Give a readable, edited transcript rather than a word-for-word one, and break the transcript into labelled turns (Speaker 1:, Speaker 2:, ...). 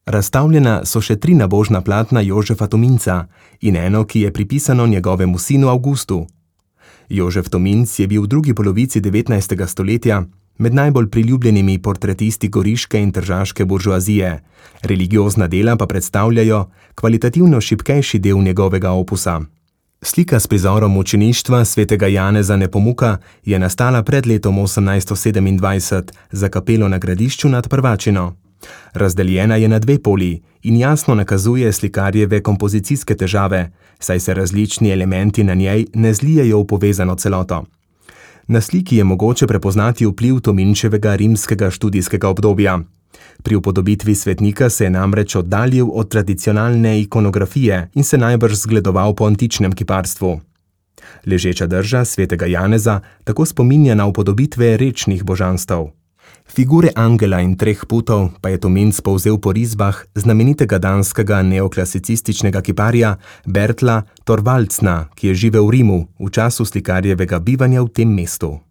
Speaker 1: Razstavljena so še 3 nabožna platna Jožefa Tominca in eno, ki je pripisano njegovemu sinu Avgustu. Jožef Tominc je bil v drugi polovici 19. stoletja med najbolj priljubljenimi portretisti goriške in tržaške buržoazije, religiozna dela pa predstavljajo kvalitativno šibkejši del njegovega opusa. Slika s prizorom mučeništva svetega Janeza Nepomuka je nastala pred letom 1827 za kapelo na Gradišču nad Prvačino. Razdeljena je na 2 poli in jasno nakazuje slikarjeve kompozicijske težave, saj se različni elementi na njej ne zlijejo v povezano celoto. Na sliki je mogoče prepoznati vpliv Tominčevega rimskega študijskega obdobja. Pri upodobitvi svetnika se je namreč oddaljil od tradicionalne ikonografije in se najbrž zgledoval po antičnem kiparstvu. Ležeča drža svetega Janeza tako spominja na upodobitve rečnih božanstev. Figure angela in 3 putov pa je Tominc povzel po risbah znamenitega danskega neoklasicističnega kiparja Bertla Thorvaldsena, ki je živel v Rimu v času slikarjevega bivanja v tem mestu.